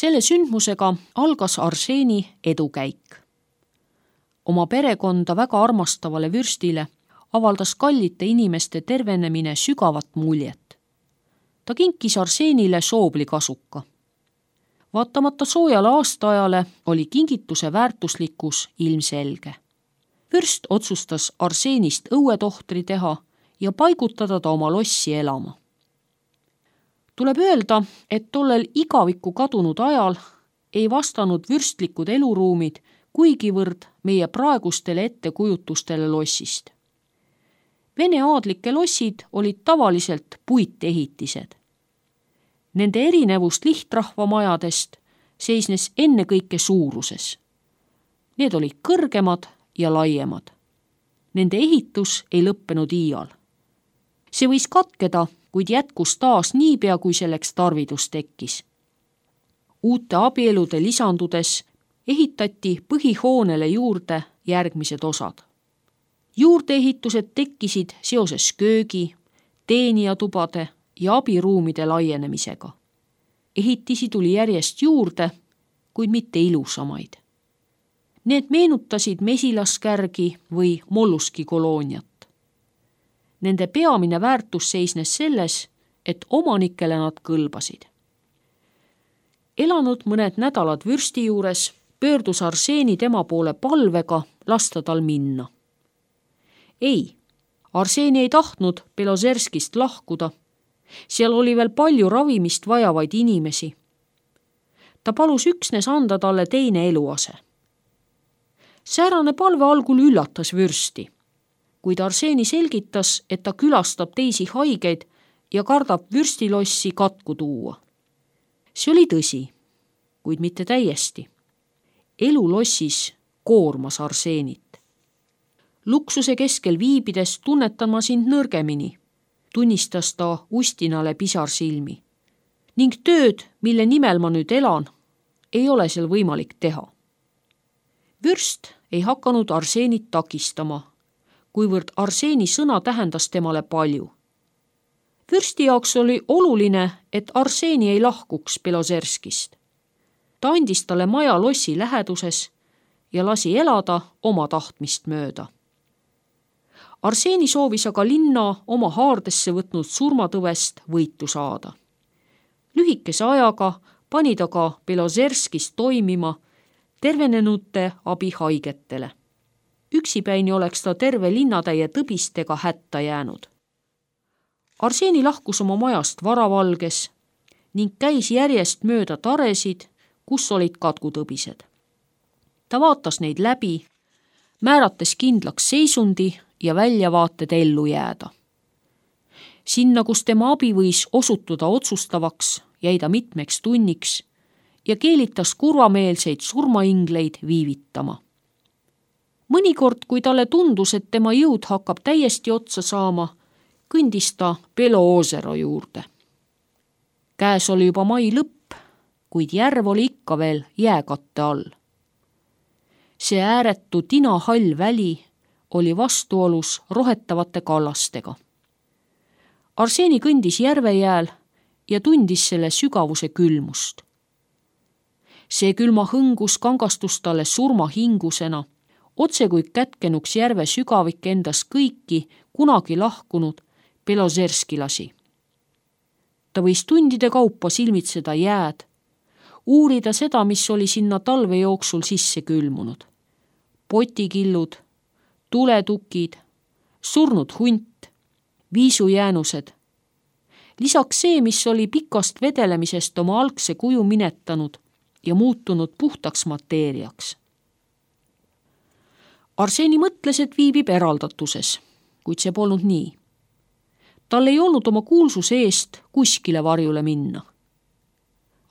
Selle sündmusega algas Arseeni edukäik. Oma perekonda väga armastavale vürstile avaldas kallite inimeste tervenemine sügavat muljet. Ta kinkis Arseenile sooblikasuka. Vaatamata soojale aastaajale oli kingituse väärtuslikkus ilmselge. Vürst otsustas Arseenist õuetohtri teha ja paigutada ta oma lossi elama. Tuleb öelda, et tollel igavikku kadunud ajal ei vastanud vürstlikud eluruumid kuigivõrd meie praegustele ettekujutustele lossist. Vene aadlike lossid olid tavaliselt puitehitised. Nende erinevust lihtrahvamajadest seisnes ennekõike suuruses. Need olid kõrgemad ja laiemad. Nende ehitus ei lõppenud iial. See võis katkeda, kuid jätkus taas niipea, kui selleks tarvidus tekkis. Uute abielude lisandudes ehitati põhihoonele juurde järgmised osad. Juurdeehitused tekkisid seoses köögi, teenijatubade ja abiruumide laienemisega. Ehitisi tuli järjest juurde, kuid mitte ilusamaid. Need meenutasid mesilaskärgi või molluski kolooniat. Nende peamine väärtus seisnes selles, et omanikele nad kõlbasid. Elanud mõned nädalad vürsti juures, pöördus Arseeni tema poole palvega lasta tal minna. Ei, Arseeni ei tahtnud Belozerskist lahkuda. Seal oli veel palju ravimist vajavaid inimesi. Ta palus üksnes anda talle teine eluase. Säärane palve algul üllatas vürsti, kuid Arseeni selgitas, et ta külastab teisi haigeid ja kardab vürstilossi katku tuua. See oli tõsi, kuid mitte täiesti. Elu lossis koormas Arseenit. Luksuse keskel viibides tunnetan ma sind nõrgemini, tunnistas ta Ustinale pisarsilmi. Ning tööd, mille nimel ma nüüd elan, ei ole seal võimalik teha. Vürst ei hakanud Arseenit takistama, kuivõrd Arseeni sõna tähendas temale palju. Vürsti jaoks oli oluline, et Arseeni ei lahkuks Belozerskist. Ta andis talle maja lossi läheduses ja lasi elada oma tahtmist mööda. Arseeni soovis aga linna oma haardesse võtnud surmatõvest võitu saada. Lühikese ajaga pani ta ka Belozerskis toimima tervenenute abi haigetele. Üksipäini oleks ta terve linnatäie tõbistega hätta jäänud. Arseeni lahkus oma majast varavalges ning käis järjest mööda taresid, kus olid katkutõbised. Ta vaatas neid läbi, määrates kindlaks seisundi ja väljavaated ellu jääda. Sinna, kus tema abi võis osutuda otsustavaks, jäi ta mitmeks tunniks ja keelitas kurvameelseid surmaingleid viivitama. Mõnikord, kui talle tundus, et tema jõud hakkab täiesti otsa saama, kõndis ta Beloozero juurde. Käes oli juba mai lõpp, kuid järv oli ikka veel jääkatte all. See ääretu tinahall väli oli vastuolus rohetavate kallastega. Arseeni kõndis järvejääl ja tundis selle sügavuse külmust. See külma hõngus kangastus talle surmahingusena, otse kui kätkenuks järve sügavik endas kõiki kunagi lahkunud belozerskilasi. Ta võis tundide kaupa silmitseda jääd, uurida seda, mis oli sinna talve jooksul sisse külmunud. Potikillud, tuletukid, surnud hunt, viisujäänused. Lisaks see, mis oli pikast vedelemisest oma algse kuju minetanud ja muutunud puhtaks mateeriaks. Arseeni mõtles, et viibib eraldatuses, kuid see polnud nii. Tal ei olnud oma kuulsuse eest kuskile varjule minna.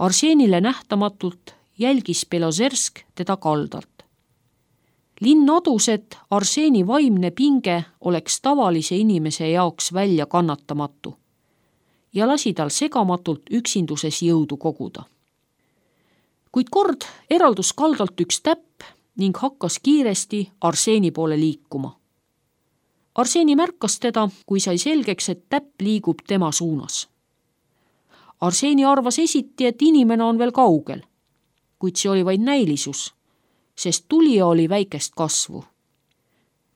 Arseenile nähtamatult jälgis Belozersk teda kaldalt. Linn adus, et Arseeni vaimne pinge oleks tavalise inimese jaoks välja kannatamatu ja lasi tal segamatult üksinduses jõudu koguda. Kuid kord eraldus kaldalt üks täpp ning hakkas kiiresti Arseeni poole liikuma. Arseeni märkas teda, kui sai selgeks, et täpp liigub tema suunas. Arseeni arvas esiti, et inimene on veel kaugel, kuid see oli vaid näilisus, sest tulija oli väikest kasvu.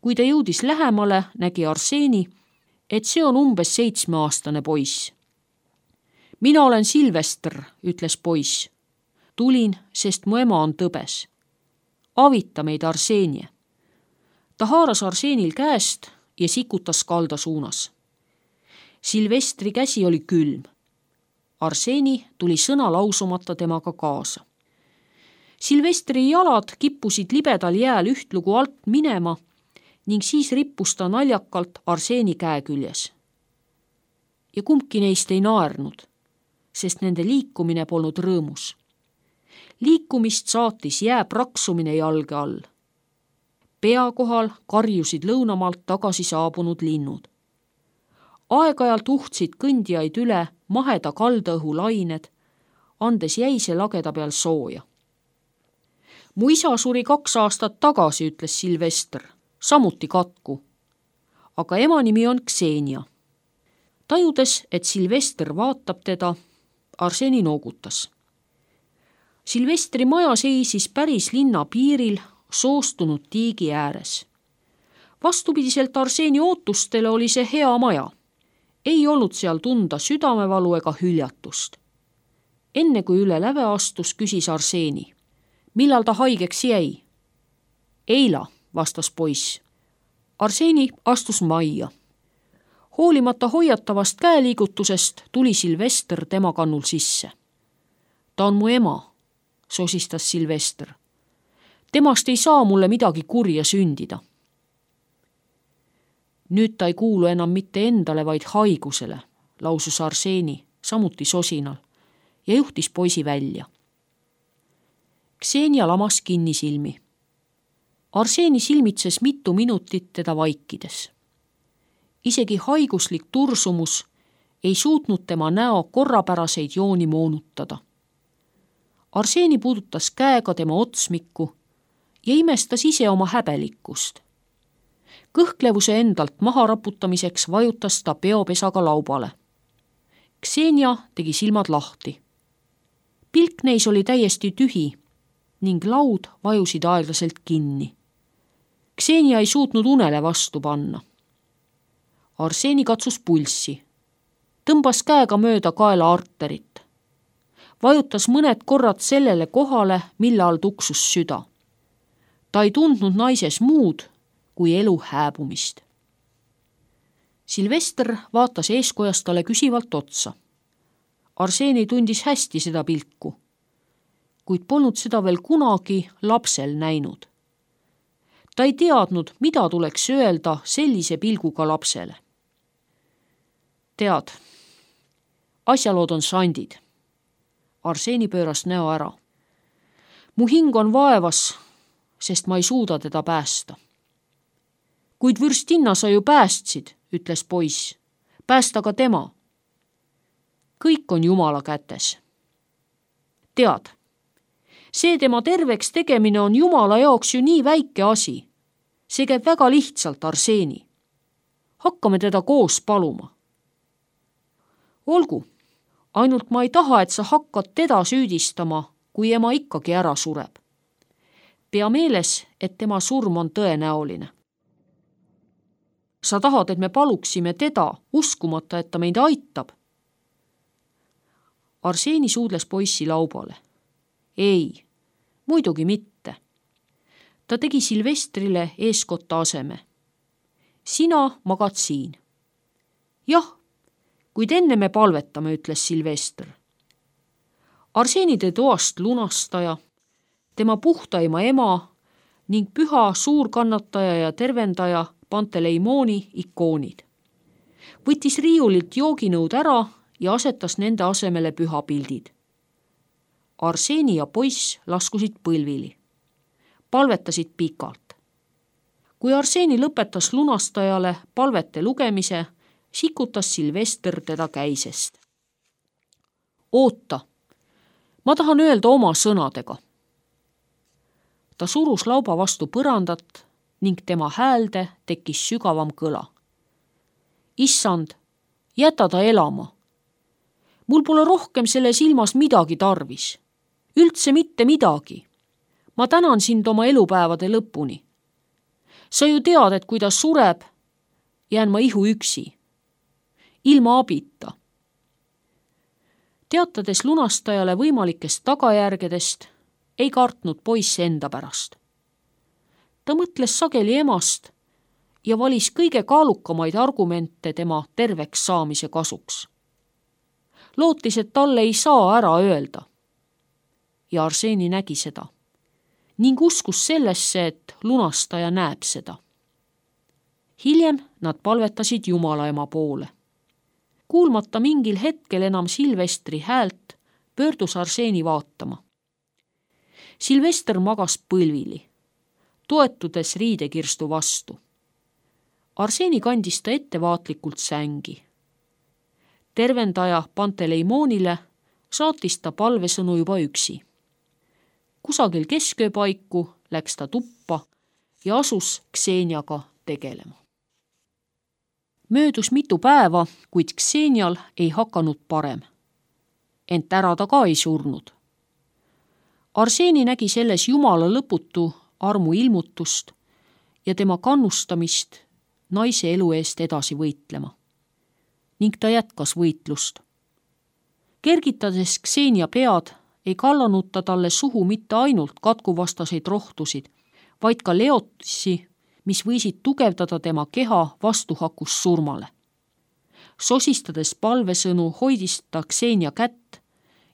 Kui ta jõudis lähemale, nägi Arseeni, et see on umbes 7-aastane poiss. Mina olen Silvester, ütles poiss. Tulin, sest mu ema on tõbes. Avita meid, Arseenie. Ta haaras Arseenil käest ja sikutas kalda suunas. Silvestri käsi oli külm. Arseeni tuli sõna lausumata temaga kaasa. Silvestri jalad kippusid libedal jääl ühtlugu alt minema ning siis rippus ta naljakalt Arseeni käe küljes. Ja kumbki neist ei naernud, sest nende liikumine polnud rõõmus. Liikumist saatis jää praksumine jalge all. Pea kohal karjusid lõunamaalt tagasi saabunud linnud. Aeg-ajalt uhtsid kõndijaid üle maheda kaldaõhu lained, andes jäise lageda peal sooja. Mu isa suri 2 aastat tagasi, ütles Silvester, samuti katku. Aga ema nimi on Ksenia. Tajudes, et Silvester vaatab teda, Arseeni noogutas. Silvestri maja seisis päris linna piiril soostunud tiigi ääres. Vastupidiselt Arseeni ootustele oli see hea maja. Ei olnud seal tunda südamevalu ega hüljatust. Enne kui üle läve astus, küsis Arseeni. Millal ta haigeks jäi? Eila, vastas poiss. Arseeni astus majja. Hoolimata hoiatavast käeliigutusest tuli Silvester tema kannul sisse. Ta on mu ema, sosistas Silvester. Temast ei saa mulle midagi kurja sündida. Nüüd ta ei kuulu enam mitte endale, vaid haigusele, lausus Arseeni, samuti sosinal, ja juhtis poisi välja. Ksenia lamas kinni silmi. Arseeni silmitses mitu minutit teda vaikides. Isegi haiguslik tursumus ei suutnud tema näo korrapäraseid jooni moonutada. Arseeni puudutas käega tema otsmikku ja imestas ise oma häbelikkust. Kõhklevuse endalt maha raputamiseks vajutas ta peopesaga laubale. Ksenia tegi silmad lahti. Pilk neis oli täiesti tühi ning laud vajusid aeglaselt kinni. Ksenia ei suutnud unele vastu panna. Arseeni katsus pulssi. Tõmbas käega mööda kaela arterit. Vajutas mõned korrad sellele kohale, mille all tuksus süda. Ta ei tundnud naises muud kui elu hääbumist. Silvester vaatas eeskojast talle küsivalt otsa. Arseeni tundis hästi seda pilku, kuid polnud seda veel kunagi lapsel näinud. Ta ei teadnud, mida tuleks öelda sellise pilguga lapsele. Tead, asjalood on sandid. Arseeni pööras näo ära. Mu hing on vaevas, sest ma ei suuda teda päästa. Kuid vürstinna sa ju päästsid, ütles poiss. Päästa ka tema. Kõik on Jumala kätes. Tead, see tema terveks tegemine on Jumala jaoks ju nii väike asi. See käib väga lihtsalt, Arseeni. Hakkame teda koos paluma. Olgu, ainult ma ei taha, et sa hakkad teda süüdistama, kui ema ikkagi ära sureb. Pea meeles, et tema surm on tõenäoline. Sa tahad, et me paluksime teda, uskumata, et ta meid aitab? Arseeni suudles poissi laubale. Ei, muidugi mitte. Ta tegi Silvestrile eeskotta aseme. Sina magad siin. Jah, kuid enne me palvetame, ütles Silvester. Arseeni tõi toast lunastaja, tema puhtaima ema ning püha suurkannataja ja tervendaja Panteleimoni ikoonid. Võttis riiulilt jooginõud ära ja asetas nende asemele pühapildid. Arseeni ja poiss laskusid põlvili. Palvetasid pikalt. Kui Arseeni lõpetas lunastajale palvete lugemise, sikutas Silvester teda käisest. Oota, ma tahan öelda oma sõnadega. Ta surus lauba vastu põrandat ning tema häälde tekkis sügavam kõla. Issand, jäta ta elama. Mul pole rohkem selles ilmas midagi tarvis. Üldse mitte midagi. Ma tänan sind oma elupäevade lõpuni. Sa ju tead, et kui ta sureb, jään ma ihu üksi. Ilma abita. Teatades lunastajale võimalikest tagajärgedest, ei kartnud poiss enda pärast. Ta mõtles sageli emast ja valis kõige kaalukamaid argumente tema terveks saamise kasuks. Lootis, et talle ei saa ära öelda. Ja Arseni nägi seda ning uskus sellesse, et lunastaja näeb seda. Hiljem nad palvetasid Jumala ema poole. Kuulmata mingil hetkel enam Silvestri häält, pöördus Arseni vaatama. Silvester magas põlvili, toetudes riidekirstu vastu. Arseni kandis ta ettevaatlikult sängi. Tervendaja Panteleimoonile saatis ta palvesõnu juba üksi. Kusagil kesköö paiku läks ta tuppa ja asus Kseniaga tegelema. Möödus mitu päeva, kuid Ksenial ei hakanud parem. Ent ära ta ka ei surnud. Arseni nägi selles Jumala lõputu armu ilmutust ja tema kannustamist naise elu eest edasi võitlema. Ning ta jätkas võitlust. Kergitades Ksenia pead, ei kallanud ta talle suhu mitte ainult katkuvastaseid rohtusid, vaid ka leotisi, mis võisid tugevdada tema keha vastuhakus surmale. Sosistades palvesõnu hoidis ta Ksenia kätt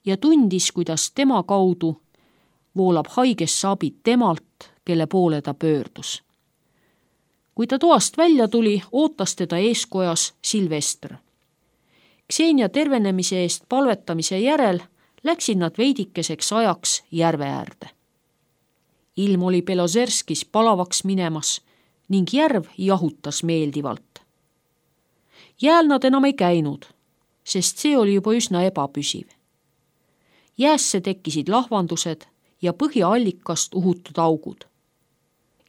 ja tundis, kuidas tema kaudu voolab haigesse abi temalt, kelle poole ta pöördus. Kui ta toast välja tuli, ootas teda eeskojas Silvester. Ksenia tervenemise eest palvetamise järel läksid nad veidikeseks ajaks järve äärde. Ilm oli Belozerskis palavaks minemas ning järv jahutas meeldivalt. Jääl nad enam ei käinud, sest see oli juba üsna ebapüsiv. Jäässe tekkisid lahvandused ja põhjaallikast uhutud augud.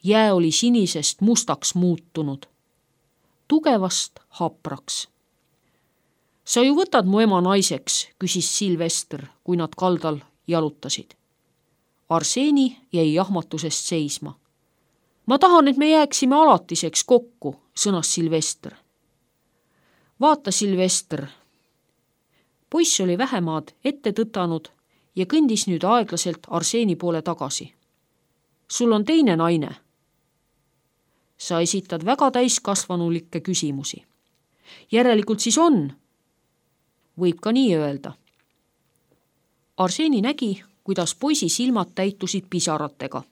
Jää oli sinisest mustaks muutunud, tugevast hapraks. Sa ju võtad mu ema naiseks, küsis Silvester, kui nad kaldal jalutasid. Arseni jäi jahmatusest seisma. Ma tahan, et me jääksime alatiseks kokku, sõnas Silvester. Vaata, Silvester. Poiss oli vähemaad ette tõtanud ja kõndis nüüd aeglaselt Arseni poole tagasi. Sul on teine naine. Sa esitad väga täiskasvanulikke küsimusi. Järelikult siis on. Võib ka nii öelda. Arseni nägi, kuidas poisi silmad täitusid pisaratega.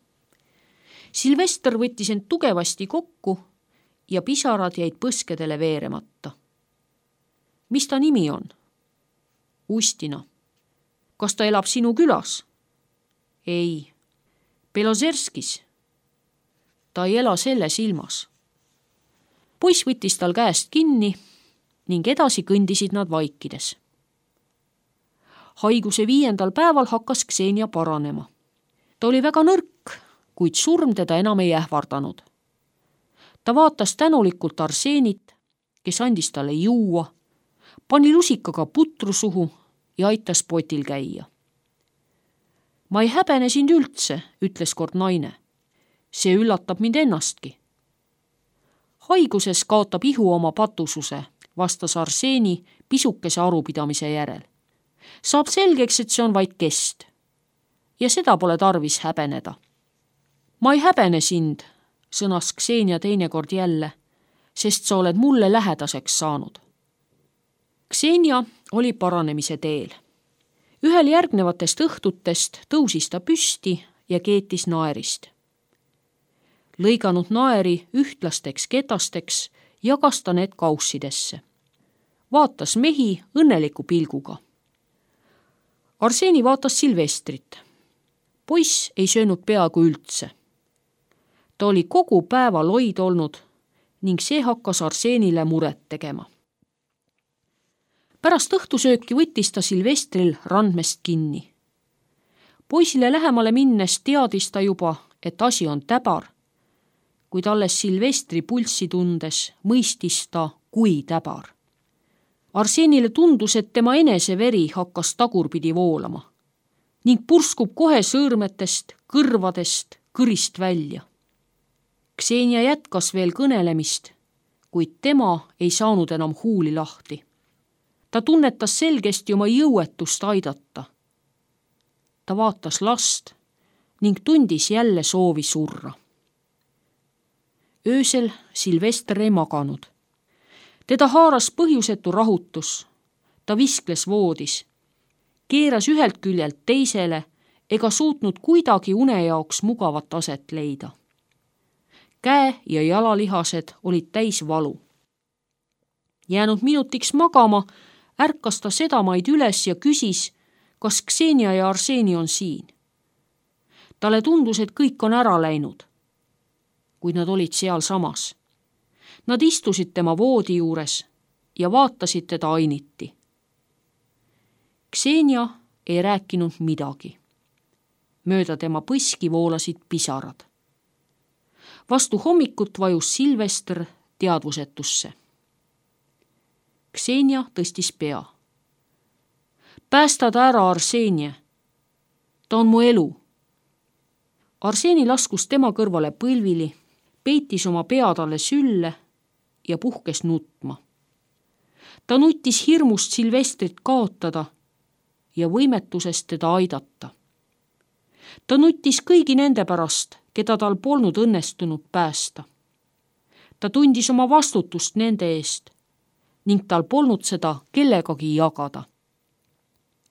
Silvester võttis end tugevasti kokku ja pisarad jäid põskedele veeremata. Mis ta nimi on? Ustina. Kas ta elab sinu külas? Ei. Belozerskis. Ta ei ela selles ilmas. Poiss võttis tal käest kinni ning edasi kõndisid nad vaikides. Haiguse 5. päeval hakkas Ksenia paranema. Ta oli väga nõrk, kuid surm teda enam ei ähvardanud. Ta vaatas tänulikult Arsenit, kes andis talle juua, pani lusikaga putru suhu ja aitas potil käia. Ma ei häbene sind üldse, ütles kord naine. See üllatab mind ennastki. Haiguses kaotab ihu oma patususe, vastas Arseni pisukese arupidamise järel. Saab selgeks, et see on vaid kest. Ja seda pole tarvis häbeneda. Ma ei häbene sind, sõnas Ksenia teinekord jälle, sest sa oled mulle lähedaseks saanud. Ksenia oli paranemise teel. Ühel järgnevatest õhtutest tõusis ta püsti ja keetis naerist. Lõiganud naeri ühtlasteks ketasteks, jagas ta need kaussidesse. Vaatas mehi õnneliku pilguga. Arseni vaatas Silvestrit. Poiss ei söönud peaaegu üldse. Ta oli kogu päeva loid olnud ning see hakkas Arsenile muret tegema. Pärast õhtusööki võttis ta Silvestril randmest kinni. Poisile lähemale minnes teadis ta juba, et asi on täbar, kuid alles Silvestri pulssi tundes mõistis ta, kui täbar. Arsenile tundus, et tema enese veri hakkas tagurpidi voolama. ning purskub kohe sõõrmetest, kõrvadest, kõrist välja. Ksenia jätkas veel kõnelemist, kuid tema ei saanud enam huuli lahti. Ta tunnetas selgesti oma jõuetust aidata. Ta vaatas last ning tundis jälle soovi surra. Öösel Silvester ei maganud. Teda haaras põhjusetu rahutus. Ta viskles voodis, keeras ühelt küljelt teisele ega suutnud kuidagi une jaoks mugavat aset leida. Käe- ja jalalihased olid täis valu. Jäänud minutiks magama, ärkas ta sedamaid üles ja küsis, kas Ksenia ja Arseni on siin. Talle tundus, et kõik on ära läinud, kuid nad olid seal samas. Nad istusid tema voodi juures ja vaatasid teda ainiti. Ksenia ei rääkinud midagi. Mööda tema põski voolasid pisarad. Vastu hommikut vajus Silvester teadvusetusse. Ksenia tõstis pea. Päästa ta ära, Arsenie. Ta on mu elu. Arseni laskus tema kõrvale põlvili, peitis oma pea talle sülle ja puhkes nutma. Ta nuttis hirmust Silvestrit kaotada ja võimetusest teda aidata. Ta nuttis kõigi nende pärast, keda tal polnud õnnestunud päästa. Ta tundis oma vastutust nende eest ning tal polnud seda kellegagi jagada.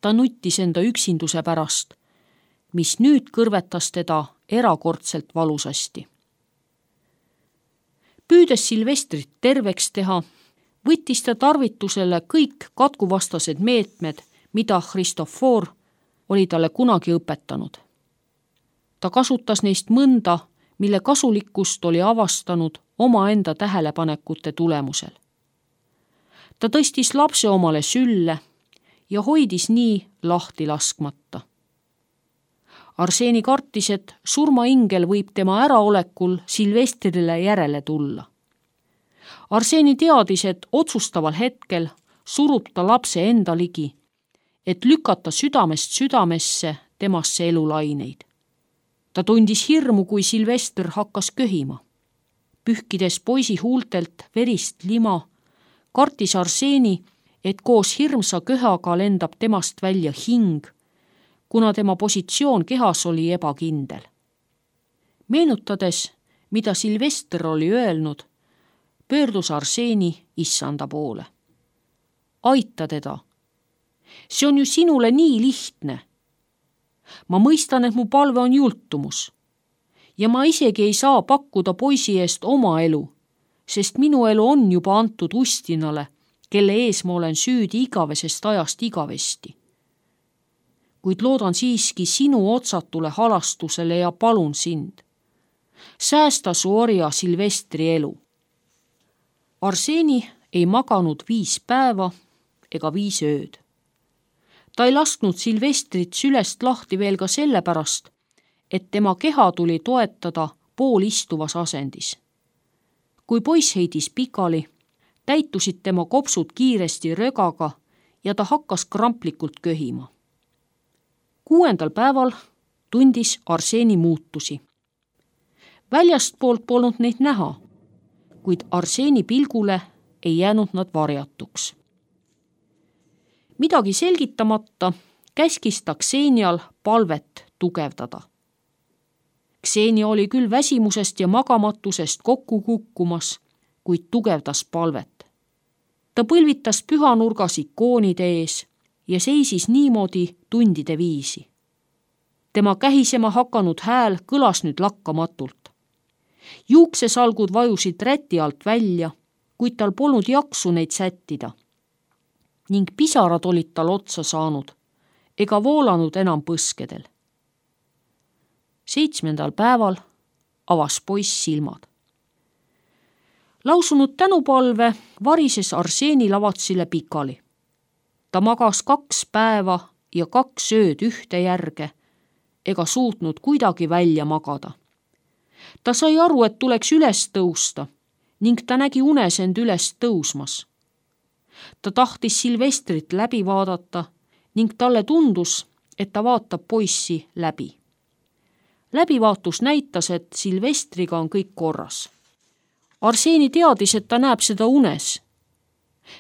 Ta nuttis enda üksinduse pärast, mis nüüd kõrvetas teda erakordselt valusasti. Püüdes Silvestrit terveks teha, võttis ta tarvitusele kõik katkuvastased meetmed, mida Christofor oli talle kunagi õpetanud. Ta kasutas neist mõnda, mille kasulikkust oli avastanud omaenda tähelepanekute tulemusel. Ta tõstis lapse omale sülle ja hoidis nii lahti laskmata. Arseni kartis, et surmaingel võib tema äraolekul Silvestrile järele tulla. Arseni teadis, et otsustaval hetkel surub ta lapse enda ligi, et lükata südamest südamesse temasse elulaineid. Ta tundis hirmu, kui Silvester hakkas köhima. Pühkides poisi huultelt verist lima, kartis Arseni, et koos hirmsa köhaga lendab temast välja hing, kuna tema positsioon kehas oli ebakindel. Meenutades, mida Silvester oli öelnud, pöördus Arseni issanda poole. Aita teda. See on ju sinule nii lihtne. Ma mõistan, et mu palve on jultumus ja ma isegi ei saa pakkuda poisi eest oma elu, sest minu elu on juba antud Ustinale, kelle ees ma olen süüdi igavesest ajast igavesti. Kuid loodan siiski sinu otsatule halastusele ja palun sind. Säästa su orja Silvestri elu. Arseni ei maganud 5 päeva ega 5 ööd. Ta ei lasknud Silvestrit sülest lahti veel ka sellepärast, et tema keha tuli toetada poolistuvas asendis. Kui poiss heidis pikali, täitusid tema kopsud kiiresti rögaga ja ta hakkas kramplikult köhima. 6. päeval tundis Arseni muutusi. Väljastpoolt polnud neid näha, kuid Arseni pilgule ei jäänud nad varjatuks. Midagi selgitamata käskis ta Ksenial palvet tugevdada. Ksenia oli küll väsimusest ja magamatusest kokku kukkumas, kuid tugevdas palvet. Ta põlvitas pühanurgas ikoonide ees ja seisis niimoodi tundide viisi. Tema kähisema hakanud hääl kõlas nüüd lakkamatult. Juuksesalgud vajusid räti alt välja, kuid tal polnud jaksu neid sättida. Ning pisarad olid tal otsa saanud, ega voolanud enam põskedel. 7. päeval avas poiss silmad. Lausunud tänupalve varises Arseni lavatsile pikali. Ta magas 2 päeva ja 2 ööd ühte järge, ega suutnud kuidagi välja magada. Ta sai aru, et tuleks üles tõusta ning ta nägi unes end üles tõusmas. Ta tahtis Silvestrit läbi vaadata ning talle tundus, et ta vaatab poissi läbi. Läbivaatus näitas, et Silvestriga on kõik korras. Arseni teadis, et ta näeb seda unes,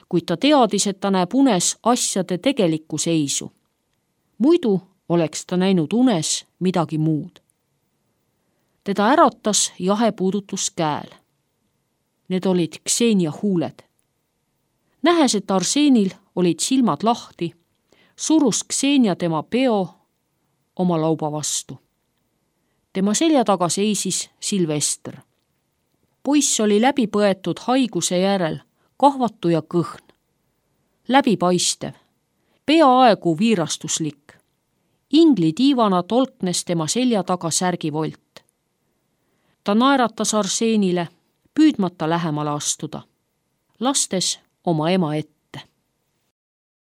kuid ta teadis, et ta näeb unes asjade tegelikku seisu. Muidu oleks ta näinud unes midagi muud. Teda äratas jahe puudutus käel. Need olid Ksenia huuled. Nähes, et Arsenil olid silmad lahti, surus Ksenia tema peo oma lauba vastu. Tema selja taga seisis Silvester. Poiss oli läbi põetud haiguse järel, kahvatu ja kõhn, läbipaistev, peaaegu viirastuslik. Ingli tiivana tolknes tema selja taga särgivolt. Ta naeratas Arsenile, püüdmata lähemale astuda, lastes oma ema ette.